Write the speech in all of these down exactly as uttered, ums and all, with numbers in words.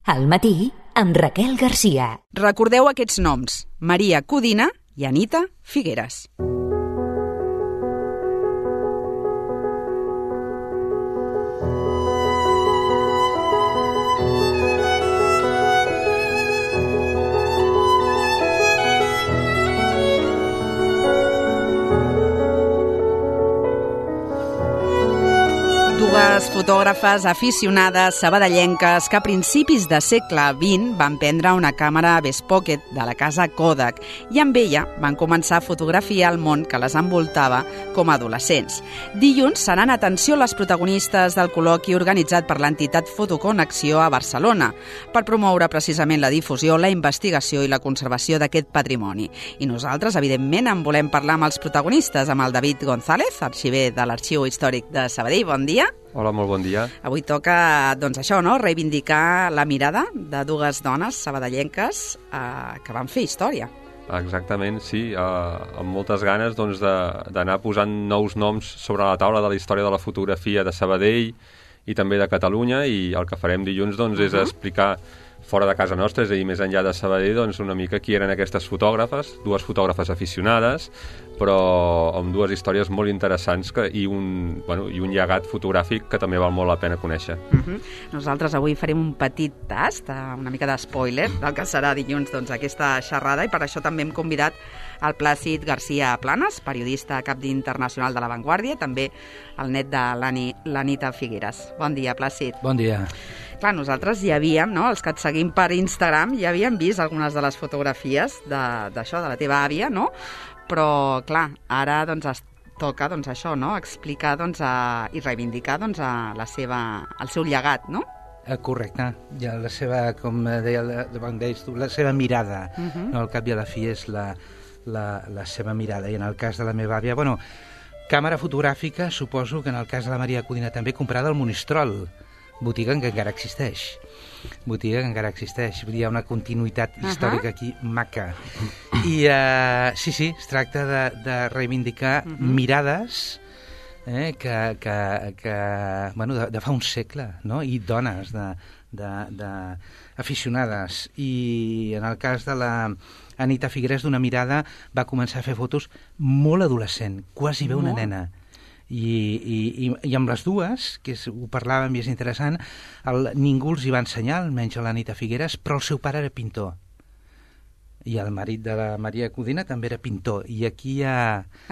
Al matí, amb Raquel Garcia. Recordeu aquests noms: Maria Codina i Anita Figueres. Dues fotògrafes aficionades sabadellenques que a principis de segle vint van prendre una càmera Best Pocket de la casa Kodak i amb ella van començar a fotografiar el món que les envoltava com a adolescents. Dilluns seran atenció les protagonistes del col·loqui organitzat per l'entitat Fotoconnexió a Barcelona per promoure precisament la difusió, la investigació i la conservació d'aquest patrimoni. I nosaltres, evidentment, en volem parlar amb els protagonistes, amb el David González, arxiver de l'Arxiu Històric de Sabadell. Bon dia. Hola, molt bon dia. Avui toca, doncs això, no?, reivindicar la mirada de dues dones sabadellenques eh, que van fer història. Exactament, sí, eh, amb moltes ganes doncs, d'anar posant nous noms sobre la taula de la història de la fotografia de Sabadell i també de Catalunya, i el que farem dilluns doncs, és uh-huh. explicar fora de casa nostra, és a dir, més enllà de Sabadell, doncs, una mica qui eren aquestes fotògrafes, dues fotògrafes aficionades, però amb dues històries molt interessants que, i, un, bueno, i un llegat fotogràfic que també val molt la pena conèixer. Uh-huh. Nosaltres avui farem un petit tast, una mica d'espoiler del que serà dilluns doncs, aquesta xerrada, i per això també hem convidat el Plàcid Garcia Planas, periodista cap d'internacional de La Vanguardia, també el net de l'Anita Figueres. Bon dia, Plàcid. Bon dia. Clar, nosaltres ja havíem, no?, els que et seguim per Instagram, ja havíem vist algunes de les fotografies d'això, de, de la teva àvia, no? Però, clar, ara doncs, es toca doncs, això, no?, explicar doncs, a, i reivindicar doncs, a la seva, el seu llegat, no? Correcte. Ja la seva, com deia, deies tu, la seva mirada, uh-huh. no? Al cap i a la fi és la, la, la seva mirada. I en el cas de la meva àvia, bueno, càmera fotogràfica, suposo que en el cas de la Maria Codina també comprada al Monistrol, botiga que encara existeix. Botiga que encara existeix. Hi ha una continuïtat històrica uh-huh. aquí maca. I uh, sí, sí, es tracta de, de reivindicar uh-huh. mirades eh, que, que, que bueno, de, de fa un segle, no? I dones de, de, de aficionades. I en el cas de la Anita Figueres, d'una mirada, va començar a fer fotos molt adolescent, quasi bé una molt. nena. I, i, i, i amb les dues, que és, ho parlàvem i és interessant, el, ningú els hi va ensenyar, almenys a l'Anita Figueres, però el seu pare era pintor. I el marit de la Maria Codina també era pintor. I aquí hi ha...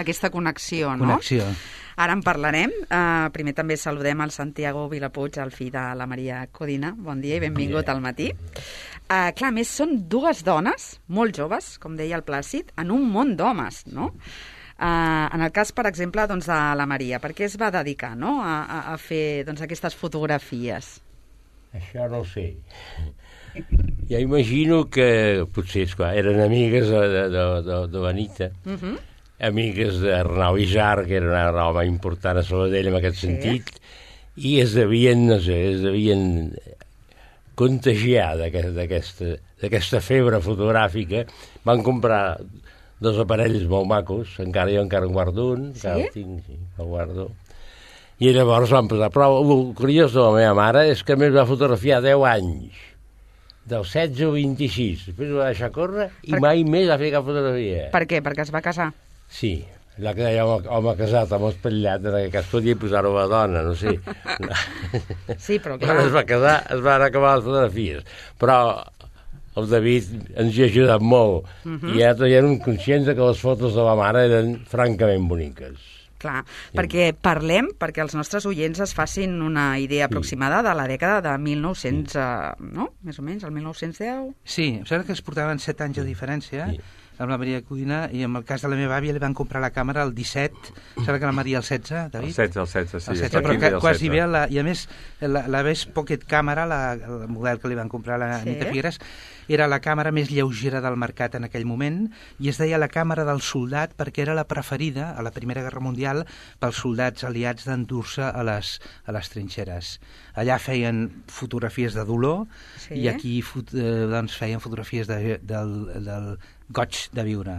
aquesta connexió, no? Connexió. Ara en parlarem. Uh, primer també saludem el Santiago Vilapuig, el fill de la Maria Codina. Bon dia i benvingut al matí. Uh, clar, més són dues dones, molt joves, com deia el Plàcid, en un món d'homes, no? Uh, en el cas, per exemple, doncs, de la Maria, per què es va dedicar, no?, a, a, a fer doncs, aquestes fotografies? Això no ho sé. Ja imagino que potser, esclar, eren amigues de, de, de, de l'Anita, uh-huh. amigues d'Arnau Isar, que era un home important a Sabadell en aquest sí. sentit, i es devien, no sé, es devien contagiar d'aquesta d'aquesta febre fotogràfica. Van comprar dos aparells molt macos, encara jo encara en guardo un, sí? encara el tinc, sí, el guardo. I llavors van posar, però el curiós de la meva mare és que més va fotografiar deu anys, del setze o vint-i-sis, després va deixar córrer i per... mai més va fer cap fotografia. Per què? Perquè es va casar? Sí, allò que deia home, home casat, home espatllat, en aquest cas podia posar-ho a la dona, no sé. Sí, però clar. Quan es va casar, es van acabar les fotografies, però el David ens hi ha ajudat molt, uh-huh. i ja eren conscients que les fotos de la mare eren francament boniques. Clar, sí. perquè parlem, perquè els nostres oients es facin una idea aproximada de la dècada de mil nou-cents, sí. eh, no? Més o menys, el mil nou-cents deu? Sí, em sembla que es portaven set anys de diferència, sí. amb la Maria Codina, i en el cas de la meva àvia li van comprar la càmera el disset, sembla que la Maria el setze, David? El setze, el setze, sí. El setze, però que, quasi bé, la, i a més, la, la Best Pocket Camera, la, el model que li van comprar a la sí. Anita Figueres, era la càmera més lleugera del mercat en aquell moment, i es deia la càmera del soldat perquè era la preferida a la Primera Guerra Mundial pels soldats aliats d'endur-se a les, a les trinxeres. Allà feien fotografies de dolor sí. i aquí fot, eh, doncs feien fotografies de, del, del goig de viure.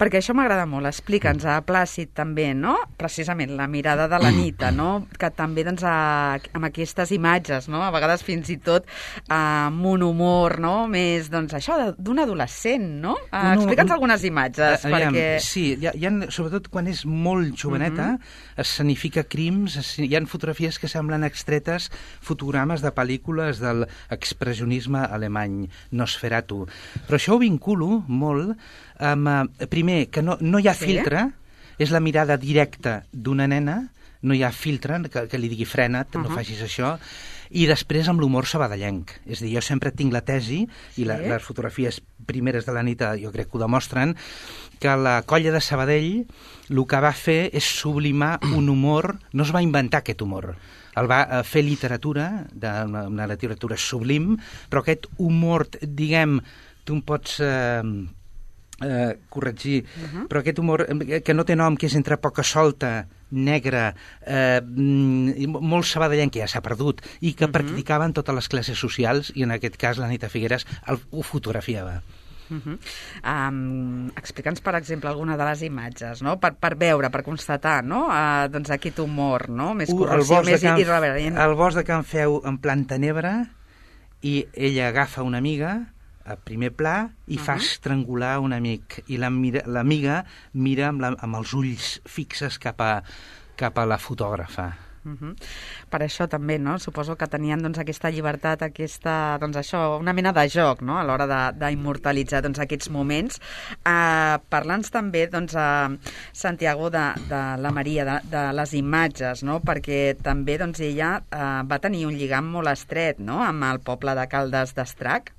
Perquè això m'agrada molt. Explica'ns a Plàcid també, no? Precisament la mirada de l'Anita, no? Que també doncs, a, amb aquestes imatges, no? A vegades fins i tot amb un humor, no? Més, doncs, això d'un adolescent, no? Uh, explica'ns algunes imatges, uh, perquè... Sí, hi ha, hi ha, sobretot quan és molt joveneta, uh -huh. escenifica crims, hi ha fotografies que semblen extretes, fotogrames de pel·lícules del expressionisme alemany, Nosferatu. Però això ho vinculo molt amb, eh, primer, que no, no hi ha sí? filtre, és la mirada directa d'una nena, no hi ha filtre, que, que li digui frena't, uh -huh. no facis això, i després amb l'humor sabadellenc. És a dir, jo sempre tinc la tesi, i la, sí? les fotografies primeres de l'Anita jo crec que ho demostren, que la colla de Sabadell el que va fer és sublimar un humor, no es va inventar aquest humor, el va fer literatura, de, una, una literatura sublim, però aquest humor, diguem, tu em pots eh, eh, corregir, uh -huh. però aquest humor que no té nom, que és entre poca solta, negre, eh, molt sabadellenc, que ja s'ha perdut, i que uh -huh. practicaven totes les classes socials, i en aquest cas l'Anita Figueres el, ho fotografiava. Uh -huh. um, Explica'ns, per exemple, alguna de les imatges, no? Per, per veure, per constatar, no? Uh, doncs aquest humor, no? Més corrosiu, més irreverent. El bosc de Can Feu en plan tenebra, i ella agafa una amiga a primer pla i uh -huh. fa estrangular un amic, i l'amiga la mira, mira amb, la, amb els ulls fixes cap a, cap a la fotògrafa. Uh -huh. Per això també, no? Suposo que tenien doncs, aquesta llibertat, aquesta, doncs, això, una mena de joc, no? A l'hora d'immortalitzar doncs, aquests moments. Uh, Parla'ns també, doncs, uh, Santiago, de, de la Maria, de, de les imatges, no? Perquè també doncs, ella uh, va tenir un lligam molt estret, no? Amb el poble de Caldes d'Estrac.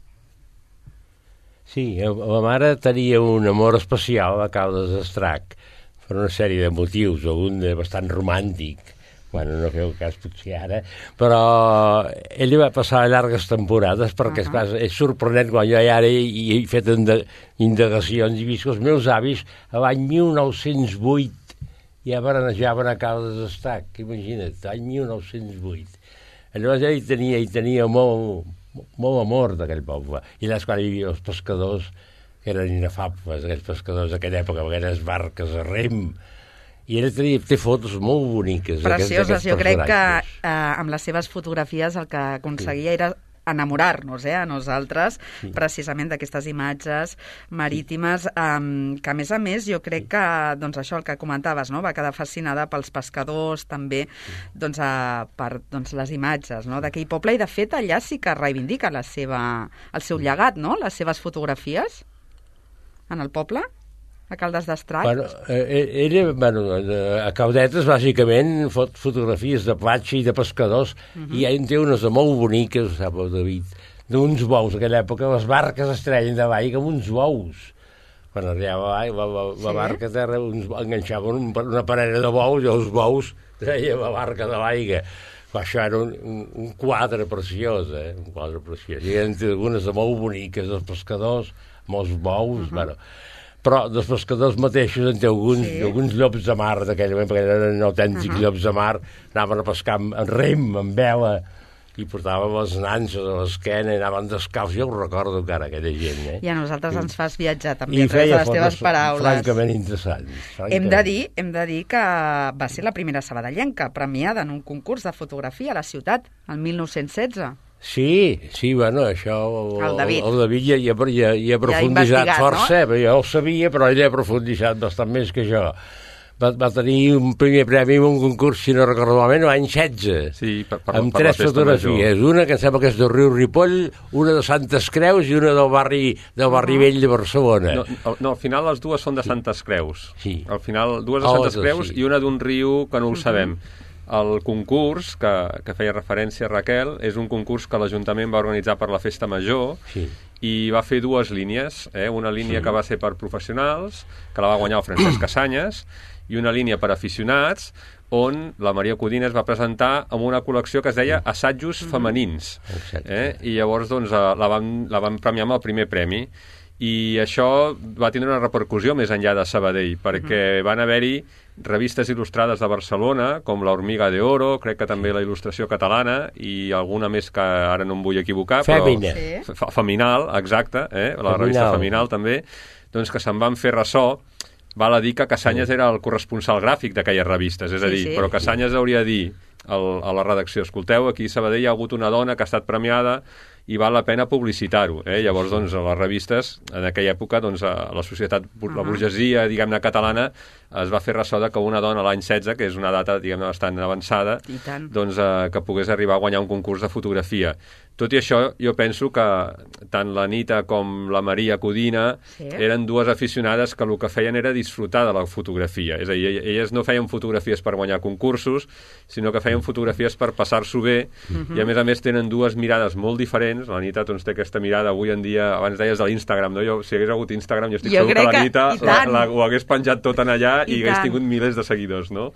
Sí, la mare tenia un amor especial a Caldes d'Estrac per una sèrie de motius, algun de bastant romàntic. Bueno, no feu cas potser ara, però ell va passar llargues temporades perquè, uh -huh. és, és sorprenent quan jo ara he, he fet indagacions i he vist que els meus avis a l'any mil nou-cents vuit ja baranejaven a Caldes d'Estrac, imagina't, l'any mil nou-cents vuit. Llavors ell tenia, ell tenia molt, molt amor d'aquell poble. I allà és quan hi havia els pescadors, que eren inefables, aquells pescadors d'aquella època, aquelles barques a rem. I ella tenia, té fotos molt boniques. Precioses. Jo crec que eh, amb les seves fotografies el que aconseguia sí. era enamorar-nos, eh, a nosaltres, sí. precisament d'aquestes imatges marítimes, um, que a més a més jo crec que, doncs això, el que comentaves, no? Va quedar fascinada pels pescadors, també, sí. doncs, uh, per doncs, les imatges, no? D'aquell poble, i de fet allà sí que reivindica la seva, el seu llegat, no? Les seves fotografies en el poble, a Caldes d'Estrac. Bueno, eh, ella, bueno, a Caldetes, bàsicament, fot fotografies de platja i de pescadors, uh -huh. i en té unes molt boniques, sap el David, d'uns bous. En aquella època les barques es treien de l'aigua amb uns bous. Quan arribava la, la, la sí? barca a terra, uns, enganxaven un, una parella de bous, i els bous treien la barca de l'aigua. Això era un, un, un quadre preciós, eh? Un quadre preciós. I en té algunes de molt boniques, els pescadors, amb els bous, uh -huh. bueno... Però dels pescadors mateixos en té alguns, sí. alguns llops de mar d'aquell moment, perquè eren autèntics uh -huh. llops de mar, anaven a pescar amb, amb rem, amb vela, i portaven les nanses a l'esquena i anaven descalços. Jo ho recordo encara, aquella gent. Eh? I a nosaltres ens fas viatjar també a través de les teves paraules. Francament interessants. Francament. Hem de dir, hem de dir que va ser la primera sabadellenca premiada en un concurs de fotografia a la ciutat, el mil nou-cents setze. Sí, sí, bueno, això... El, el David. El, el David ja, ja, ja, ja ha profunditzat ja força, no? Jo ho sabia, però ell ha profunditzat bastant més que jo. Va, va tenir un primer premi en un concurs, si no recordo malament, l'any setze, sí, per, per, amb per tres fotografies. Major. Una que em sembla que és del riu Ripoll, una de Santes Creus i una del barri, del barri vell de Barcelona. No, no, al final les dues són de Santes Creus. Sí. Al final, dues de Santes oh, Creus sí. i una d'un riu que no ho sabem. El concurs, que, que feia referència a Raquel, és un concurs que l'Ajuntament va organitzar per la Festa Major sí. i va fer dues línies. Eh? Una línia sí. que va ser per professionals, que la va guanyar el Francesc Cassanyes, i una línia per aficionats, on la Maria Codines va presentar amb una col·lecció que es deia Assajos Femenins. Eh? I llavors doncs, la, van, la van premiar amb el primer premi. I això va tindre una repercussió més enllà de Sabadell, perquè uh-huh. van haver-hi revistes il·lustrades de Barcelona, com La Hormiga de Oro, crec que també la Il·lustració Catalana, i alguna més que ara no em vull equivocar, Fèmina. però... Sí. Feminal, exacte, eh? la Feminal. Revista Feminal també, doncs que se'n van fer ressò, val a dir que Cassanyes era el corresponsal gràfic d'aquelles revistes, és a dir, sí, sí. però Cassanyes hauria de dir el, a la redacció, escolteu, aquí a Sabadell hi ha hagut una dona que ha estat premiada i val la pena publicitar-ho. Eh? Llavors, doncs, a les revistes, en aquella època, doncs, a la societat, uh-huh. la burgesia, diguem-ne, catalana, es va fer ressò que una dona l'any setze, que és una data, diguem-ne, bastant avançada, doncs, eh, que pogués arribar a guanyar un concurs de fotografia. Tot i això, jo penso que tant l'Anita com la Maria Codina sí. eren dues aficionades que el que feien era disfrutar de la fotografia. És a dir, elles no feien fotografies per guanyar concursos, sinó que feien fotografies per passar-s'ho bé, uh-huh. i a més a més tenen dues mirades molt diferents. L'Anita doncs, té aquesta mirada avui en dia, abans deies de l'Instagram, no? Jo, si hagués hagut Instagram, jo estic jo segur que l'Anita la, la, ho hagués penjat tot en allà i, i hagués tingut milers de seguidors, no?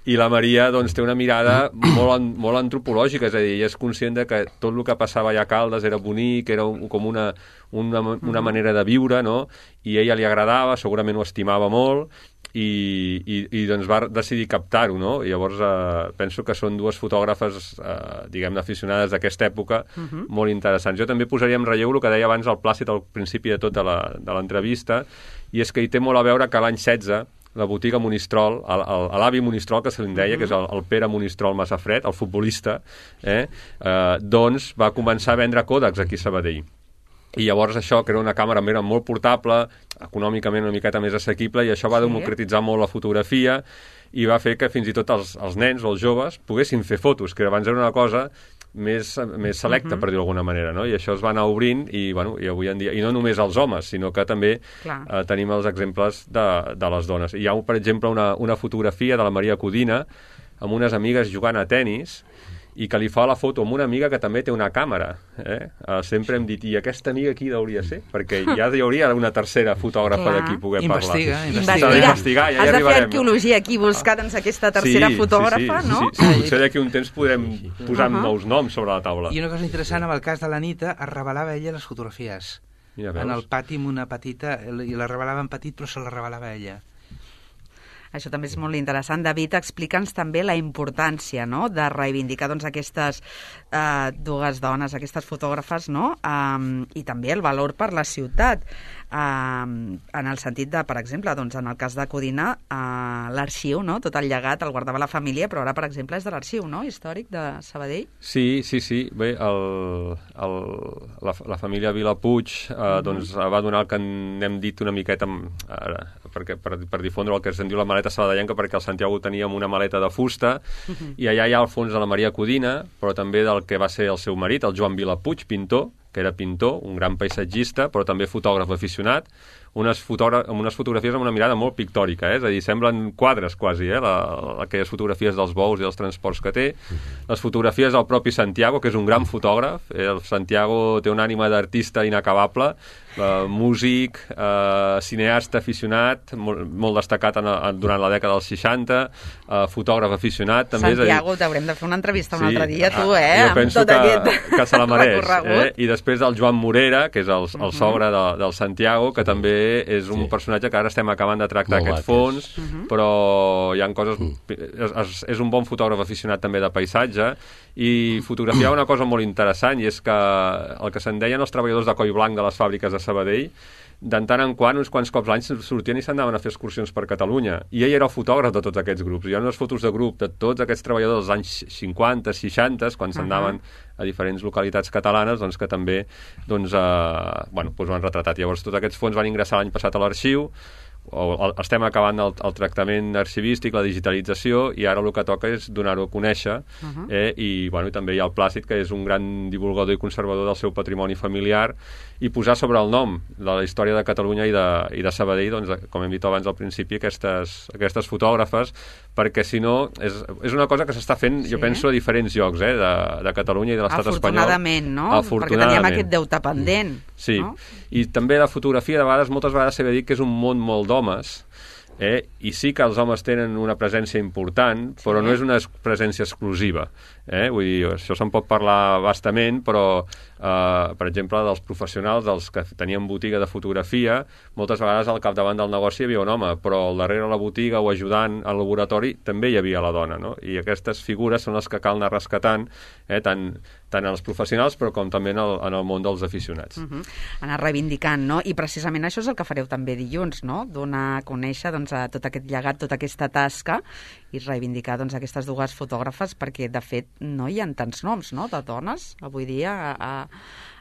I la Maria doncs, té una mirada molt, molt antropològica, és a dir, ella és conscient de que tot el que passava allà a Caldes era bonic, era un, com una, una, una manera de viure, no? I a ella li agradava, segurament ho estimava molt, i, i, i doncs va decidir captar-ho, no? I llavors eh, penso que són dues fotògrafes, eh, diguem-ne, aficionades d'aquesta època, uh-huh. molt interessants. Jo també posaria en relleu el que deia abans el Plàcid al principi de tot de l'entrevista, i és que hi té molt a veure que l'any setze la botiga Monistrol, l'avi Monistrol, que se li deia, uh-huh. que és el, el Pere Monistrol Massafred, el futbolista, eh, eh, doncs va començar a vendre Kodaks aquí a Sabadell. I llavors això, que era una càmera era molt portable, econòmicament una miqueta més assequible, i això va sí. democratitzar molt la fotografia i va fer que fins i tot els, els nens o els joves poguessin fer fotos, que abans era una cosa més, més selecta, uh-huh. per dir-ho d'alguna manera, no? I això es va anar obrint i, bueno, i avui en dia, i no només els homes, sinó que també eh, tenim els exemples de, de les dones. Hi ha, per exemple, una, una fotografia de la Maria Codina amb unes amigues jugant a tennis i que li fa la foto amb una amiga que també té una càmera. Eh? Uh, sempre hem dit, i aquesta amiga qui hauria ser? Perquè ja hi hauria una tercera fotògrafa d'aquí poder investiga, parlar. Investiga, investiga. investigar. Ja Has hi de fer arqueologia aquí, buscar doncs, aquesta tercera sí, fotògrafa, sí, sí, no? Sí, sí, sí. Potser d'aquí un temps podrem posar uh-huh. nous noms sobre la taula. I una cosa interessant, amb el cas de l'Anita, es revelava ella les fotografies. Mira, en el pati amb una petita, i la revelava en petit, però se la revelava ella. Això també és molt interessant. David, explica'ns també la importància, no?, de reivindicar doncs, aquestes eh, dues dones, aquestes fotògrafes, no?, um, i també el valor per la ciutat. Um, en el sentit de, per exemple, doncs, en el cas de Codina, uh, l'arxiu, no?, tot el llegat el guardava la família, però ara, per exemple, és de l'arxiu, no?, històric de Sabadell. Sí, sí, sí. Bé, el, el, la, la família Vilapuig eh, uh-huh. doncs, va donar el que n'hem dit una miqueta ara, perquè, per, per difondre el que se'n diu la maleta sabadellenca, perquè al Santiago teníem una maleta de fusta, uh-huh. i allà hi ha el fons de la Maria Codina, però també del que va ser el seu marit, el Joan Vilapuig, pintor, que era pintor, un gran paisatgista, però també fotògraf aficionat, unes, fotogra unes fotografies amb una mirada molt pictòrica, eh? És a dir, semblen quadres quasi, eh? La, aquelles fotografies dels bous i dels transports que té. Les fotografies del propi Santiago, que és un gran fotògraf. Eh? El Santiago té una ànima d'artista inacabable, eh, músic, eh, cineasta aficionat, molt, molt destacat en, en, durant la dècada dels seixanta, eh, fotògraf aficionat. També, Santiago, t'haurem de fer una entrevista un sí, altre dia, tu, eh? Jo penso que, aquest que se la mereix. Eh? I després del Joan Morera, que és el, el uh-huh. sogre de, del Santiago, que també és un sí. personatge que ara estem acabant de tractar molt aquest fons, uh-huh. però hi ha coses... És, és, és un bon fotògraf aficionat també de paisatge, i fotografiava una cosa molt interessant, i és que el que se'n deien els treballadors de coll blanc de les fàbriques de Sabadell, de tant en quant, uns quants cops l'any, sortien i s'anaven a fer excursions per Catalunya. I ell era el fotògraf de tots aquests grups. Hi ha unes fotos de grup de tots aquests treballadors dels anys cinquanta, seixanta, quan s'anaven uh-huh. a diferents localitats catalanes, doncs que també doncs, eh, bueno, doncs ho han retratat. Llavors, tots aquests fons van ingressar l'any passat a l'arxiu, o el, estem acabant el, el tractament arxivístic, la digitalització, i ara el que toca és donar-ho a conèixer, uh-huh. eh, i, bueno, i també hi ha el Plàcid, que és un gran divulgador i conservador del seu patrimoni familiar, i posar sobre el nom de la història de Catalunya i de, i de Sabadell, doncs, com hem dit abans al principi, aquestes, aquestes fotògrafes, perquè si no, és, és una cosa que s'està fent, sí. jo penso, a diferents llocs, eh, de, de Catalunya i de l'estat espanyol. Afortunadament, no? Afortunadament. Perquè teníem aquest deute pendent. Sí, no? I també la fotografia, de vegades, moltes vegades s'ha de dir que és un món molt d'homes, eh? I sí que els homes tenen una presència important, però sí. no és una presència exclusiva. Eh? Vull dir, això se'n pot parlar bastament, però Uh, per exemple, dels professionals, dels que tenien botiga de fotografia, moltes vegades al capdavant del negoci hi havia un home, però al darrere la botiga o ajudant al laboratori també hi havia la dona, no? I aquestes figures són les que cal anar rescatant, eh, tant, tant en els professionals però com també en el, en el món dels aficionats. Uh -huh. Anar reivindicant, no? I precisament això és el que fareu també dilluns, no? Donar a conèixer doncs, a tot aquest llegat, tota aquesta tasca i reivindicar doncs, aquestes dues fotògrafes, perquè de fet no hi ha tants noms, no?, de dones avui dia a, a,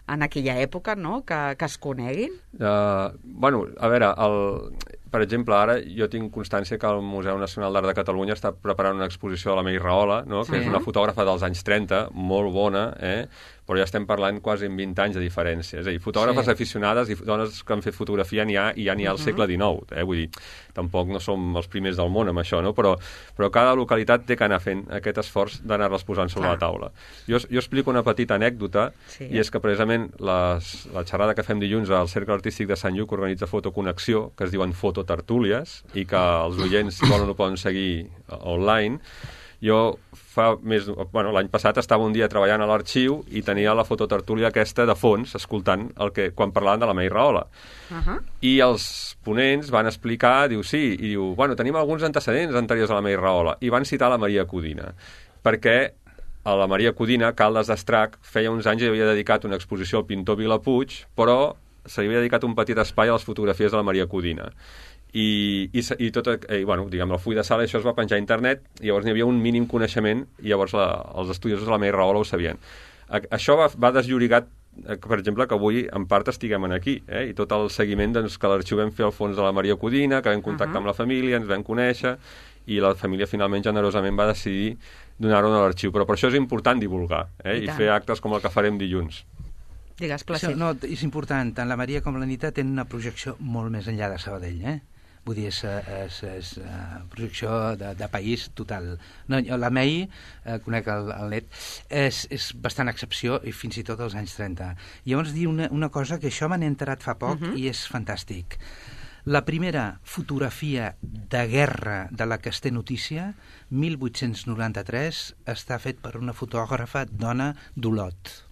en aquella època, no?, que, que es coneguin. Uh, bueno, a veure, el, per exemple, ara jo tinc constància que el Museu Nacional d'Art de Catalunya està preparant una exposició de la May Rahola, no?, que sí. és una fotògrafa dels anys trenta, molt bona, eh?, però ja estem parlant quasi en vint anys de diferència. És a dir, fotògrafes sí. aficionades i dones que han fet fotografia n'hi ha, i ja n'hi ha al segle dinou. Eh? Vull dir, tampoc no som els primers del món amb això, no? Però, però cada localitat té que anar fent aquest esforç d'anar-les posant sobre Clar. la taula. Jo, jo explico una petita anècdota, sí. i és que precisament les, la xerrada que fem dilluns al Cercle Artístic de Sant Lluc organitza Fotoconnexió, que es diuen fototertúlies, i que els oients, si volen, ho poden seguir online. Jo fa més... Bueno, l'any passat estava un dia treballant a l'arxiu i tenia la fototertúlia aquesta de fons, escoltant el que, quan parlaven de la May Rahola. Uh -huh. I els ponents van explicar, diu, sí, i diu, bueno, tenim alguns antecedents anteriors a la May Rahola, i van citar la Maria Codina, perquè a la Maria Codina, Caldes d'Estrac, feia uns anys i havia dedicat una exposició al pintor Vilapuig, però se li havia dedicat un petit espai a les fotografies de la Maria Codina. I, i, i tot, eh, bueno, diguem, el full de sala, això es va penjar a internet, i llavors n'hi havia un mínim coneixement, i llavors la, els estudiosos de la May Rahola ho sabien. A, això va, va desllorigat, eh, per exemple, que avui en part estiguem aquí, eh, i tot el seguiment doncs, que l'arxiu vam fer al fons de la Maria Codina, que vam contactar uh -huh. amb la família, ens vam conèixer, i la família finalment generosament va decidir donar-ho a l'arxiu. Però per això és important divulgar, eh, i, i fer actes com el que farem dilluns. Digues, Plàcid. No, és important. Tant la Maria com la Nita tenen una projecció molt més enllà de Sabadell, eh? Vull dir, és, és, és uh, projecció de, de país total. No, la May, uh, conec el, el net, és, és bastant excepció, i fins i tot als anys trenta. I llavors dir una, una cosa que això me n'he enterat fa poc, uh -huh. i és fantàstic. La primera fotografia de guerra de la que es té notícia, mil vuit-cents noranta-tres, està fet per una fotògrafa dona d'Olot.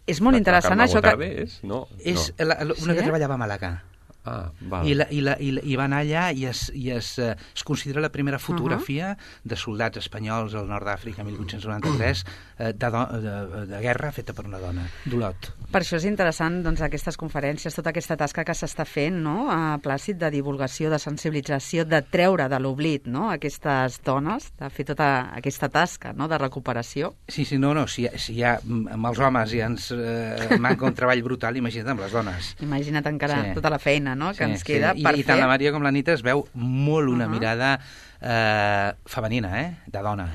És molt interessant la això que... És, no, és no. La, una sí? que treballava a Màlaga. Ah, val. I, la, i, la, i, la, i va anar allà i es, i es, uh, es considera la primera fotografia uh -huh. de soldats espanyols al nord d'Àfrica, mil vuit-cents noranta-tres, uh, de, de, de guerra feta per una dona, d'Olot. Per això és interessant, doncs, aquestes conferències, tota aquesta tasca que s'està fent, no?, a Plàcid, de divulgació, de sensibilització, de treure de l'oblit, no?, aquestes dones, de fer tota aquesta tasca, no?, de recuperació. Sí, sí, no, no, si, si ja amb els homes ja ens eh, manca un treball brutal, imagina't amb les dones. Imagina't encara sí. tota la feina, no?, que sí, ens queda sí. per I, fer. I tant la Maria com la Nita es veu molt una uh -huh. mirada eh, femenina, eh?, de dona.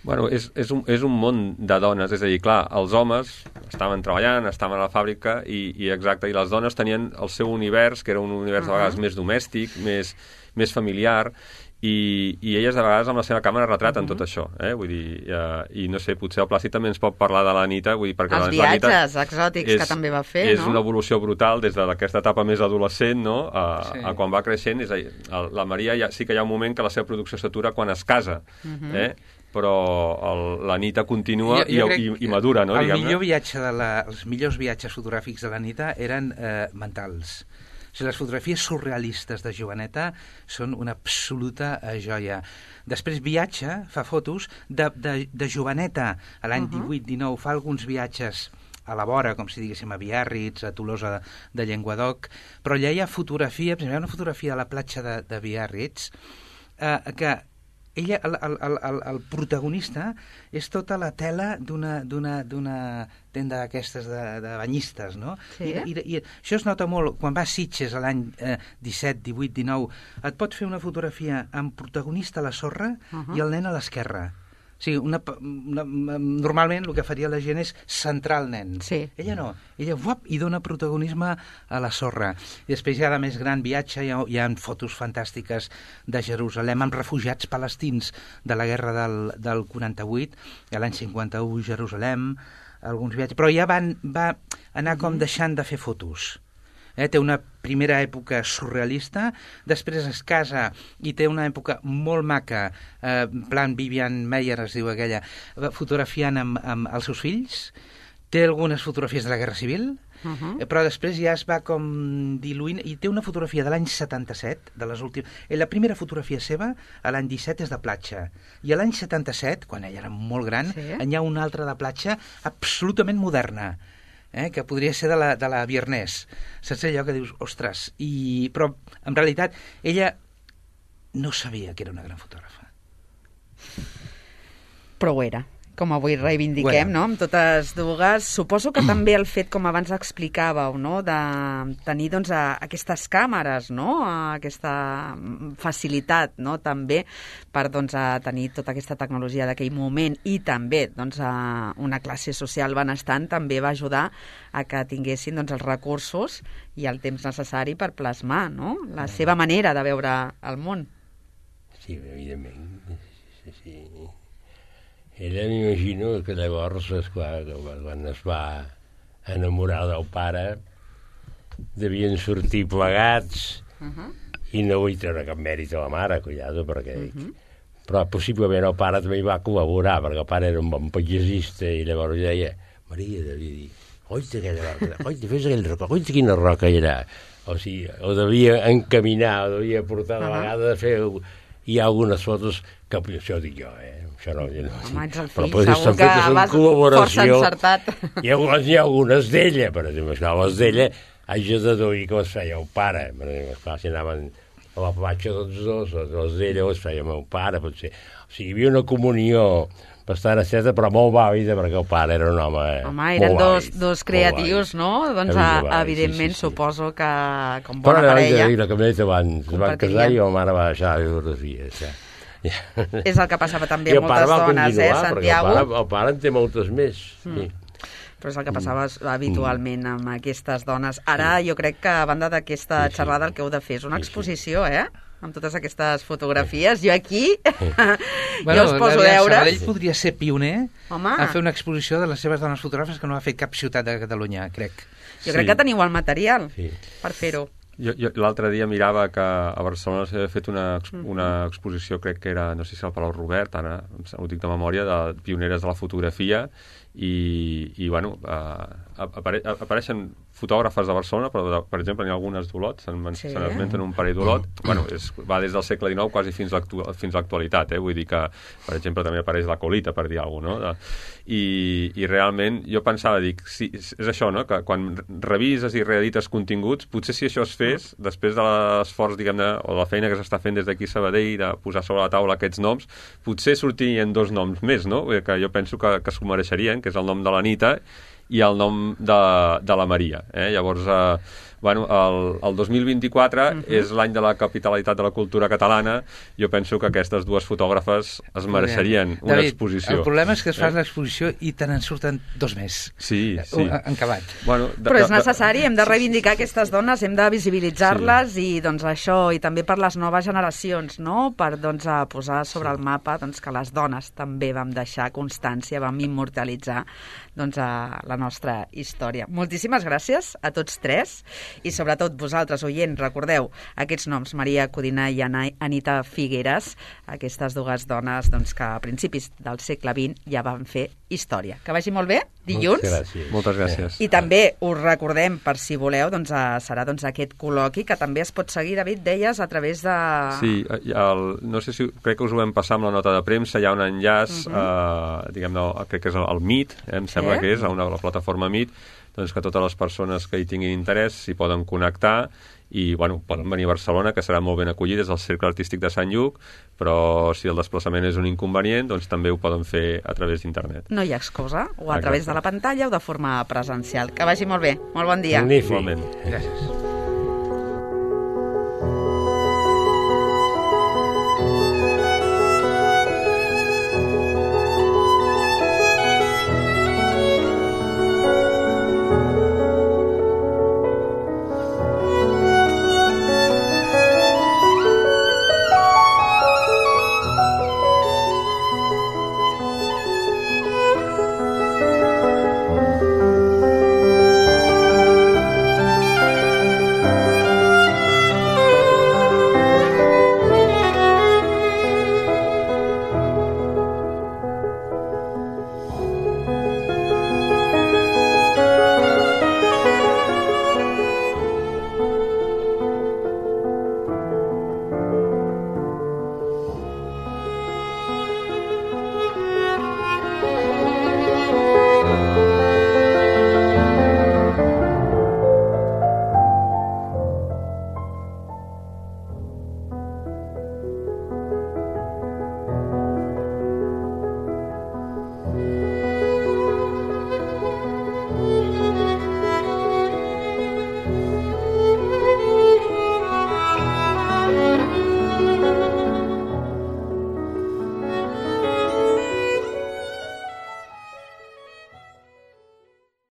Bueno, és, és, un, és un món de dones, és a dir, clar, els homes estaven treballant, estaven a la fàbrica, i, i exacte, i les dones tenien el seu univers, que era un univers uh -huh. de vegades més domèstic, més, més familiar, i, i elles de vegades amb la seva càmera retraten uh -huh. tot això, eh? Vull dir, uh, i no sé, potser el Plàcid també ens pot parlar de la Nita, vull dir, perquè els la, viatges la Nita exòtics és, que també va fer, és no? És una evolució brutal des d'aquesta etapa més adolescent, no?, a, sí. a quan va creixent. És a dir, la Maria ja, sí que hi ha un moment que la seva producció s'atura quan es casa, uh -huh. eh? Però el, la Nita continua jo, jo i, i, i madura, no? El millor viatge de la, els millors viatges fotogràfics de la Nita eren eh, mentals. O sigui, les fotografies surrealistes de joveneta són una absoluta eh, joia. Després viatja, fa fotos de, de, de joveneta a l'any uh -huh. divuit dinou, fa alguns viatges a la vora, com si diguéssim a Biarritz, a Tolosa de, de Llenguadoc, però allà hi ha fotografia, per exemple, hi ha una fotografia a la platja de, de Biarritz eh, que ella, el, el, el, el protagonista és tota la tela d'una d'una d'una tenda d'aquestes de, de banyistes, no? Sí. I, i, I això es nota molt quan vas a Sitges a l'any eh, disset, divuit, dinou, et pot fer una fotografia amb protagonista a la sorra uh -huh. i el nen a l'esquerra. O sigui, una, una, normalment el que faria la gent és centrar el nen. Sí. Ella no. Ella uap, i dona protagonisme a la sorra. I després ja de més gran viatge hi ha, hi ha fotos fantàstiques de Jerusalem amb refugiats palestins de la guerra del, del quaranta-vuit, a l'any cinquanta-u Jerusalem, alguns viatges, però ja van, va anar com deixant de fer fotos. Eh? Té una primera època surrealista, després es casa i té una època molt maca, eh, en plan Vivian Mayer es diu aquella, fotografiant amb, amb els seus fills, té algunes fotografies de la Guerra Civil, Uh -huh. però després ja es va com diluint i té una fotografia de l'any setanta-set de les últimes... La primera fotografia seva a l'any disset és de platja i a l'any setanta-set, quan ella era molt gran, sí. hi ha una altra de platja absolutament moderna, eh? que podria ser de la, de la Viernès. Saps allò que dius, ostres, i... però en realitat ella no sabia que era una gran fotògrafa. Però ho era, com avui reivindiquem, bueno. no?, amb totes dues. Suposo que també el fet, com abans explicàveu, no?, de tenir, doncs, a, aquestes càmeres, no?, a aquesta facilitat, no?, també per, doncs, a tenir tota aquesta tecnologia d'aquell moment i també, doncs, a una classe social benestant també va ajudar a que tinguessin, doncs, els recursos i el temps necessari per plasmar, no?, la seva manera de veure el món. Sí, evidentment, sí, sí. Ella m'imagino que llavors, esclar, quan es va enamorar del pare, devien sortir plegats uh -huh. i no vull treure cap mèrit a la mare, cuidado, perquè... Uh -huh. Però possiblement el pare també hi va col·laborar, perquè el pare era un bon paisatgista i llavors deia, Maria, devia dir, oita aquella roca, oita, fes aquell roca, oita quina roca era. O sigui, o devia encaminar, o devia portar de uh -huh. vegada a fer... Hi ha algunes fotos que això ho dic jo, eh? Això no, no, home, ets el fill, però segur que vas força encertat. Hi ha, hi ha algunes d'ella, per exemple, les d'ella haig de deduir que les feia el pare. Per exemple, esclar, si anaven a la platja tots dos, les d'ella les feia el meu pare, potser. O sigui, hi havia una comunió bastant estreta, però molt vàlida, perquè el pare era un home Home, eren dos, dos creatius, no? Doncs, a, evidentment, sí, sí, sí. Suposo que, com bona però parella... Però la camioneta abans es van casar i la mare va deixar les fotografies, ja. És el que passava també a moltes dones, eh, Santiago? El pare, el pare en té moltes més, mm. sí. Però és el que passava habitualment amb aquestes dones. Ara jo crec que, a banda d'aquesta sí, sí. xerrada, el que heu de fer és una exposició, eh?, amb totes aquestes fotografies. Jo aquí bueno, jo us poso deures. Sabadell podria ser pioner Home. a fer una exposició de les seves dones fotògrafes que no ha fet cap ciutat de Catalunya, crec. Jo sí. crec que teniu el material sí. per fer-ho. Jo, jo l'altre dia mirava que a Barcelona s'havia fet una, una exposició, crec que era, no sé si al Palau Robert, ara ho dic de memòria, de pioneres de la fotografia, i, i bueno, uh, apare apareixen fotògrafes de Barcelona, però, de, per exemple, n'hi ha algunes d'Olot, se'n sí. se n'esmenten un parell d'Olot, bueno, és, va des del segle dinou quasi fins a l'actualitat, eh? Vull dir que, per exemple, també apareix la Colita, per dir alguna cosa, no? De, i, i realment jo pensava, dic, sí, és això, no?, que quan revises i reedites continguts, potser si això es fes, després de l'esforç, diguem-ne, o de la feina que s'està fent des d'aquí a Sabadell, de posar sobre la taula aquests noms, potser sortirien dos noms més, no?, que jo penso que, que s'ho mereixerien, que és el nom de l'Anita i el nom de, de la Maria. Eh? Llavors, eh, bueno, el, el dos mil vint-i-quatre uh -huh. és l'any de la capitalitat de la cultura catalana. Jo penso que aquestes dues fotògrafes es mereixerien una David, exposició. El problema és que es fa eh? l'exposició i te n'en surten dos més. Sí, sí. En acabat. Bueno, de, Però és necessari, hem de reivindicar aquestes dones, hem de visibilitzar-les sí. i doncs això, i també per les noves generacions, no?, per doncs, a posar sobre sí. el mapa doncs, que les dones també vam deixar constància, vam immortalitzar doncs, a la nostra història. Moltíssimes gràcies a tots tres i sobretot vosaltres, oients, recordeu aquests noms, Maria Codina i Anita Figueras, aquestes dues dones doncs, que a principis del segle vint ja van fer història. Que vagi molt bé, dilluns. Moltes gràcies. Moltes gràcies. I també us recordem, per si voleu, doncs, serà doncs, aquest col·loqui que també es pot seguir, David, deies, a través de... Sí, el, no sé si, crec que us ho vam passar amb la nota de premsa, hi ha un enllaç, uh -huh. eh, diguem-ne, crec que és el, el Meet, eh, em sembla eh? que és, a una, a la plataforma Meet, doncs que totes les persones que hi tinguin interès s'hi poden connectar i bueno, poden venir a Barcelona, que seran molt ben acollides al Cercle Artístic de Sant Lluc, però si el desplaçament és un inconvenient, doncs també ho poden fer a través d'internet. No hi ha excusa, o a Exacte. través de la pantalla o de forma presencial. Que vagi molt bé. Molt bon dia. Magnífic. Igualment. Gràcies.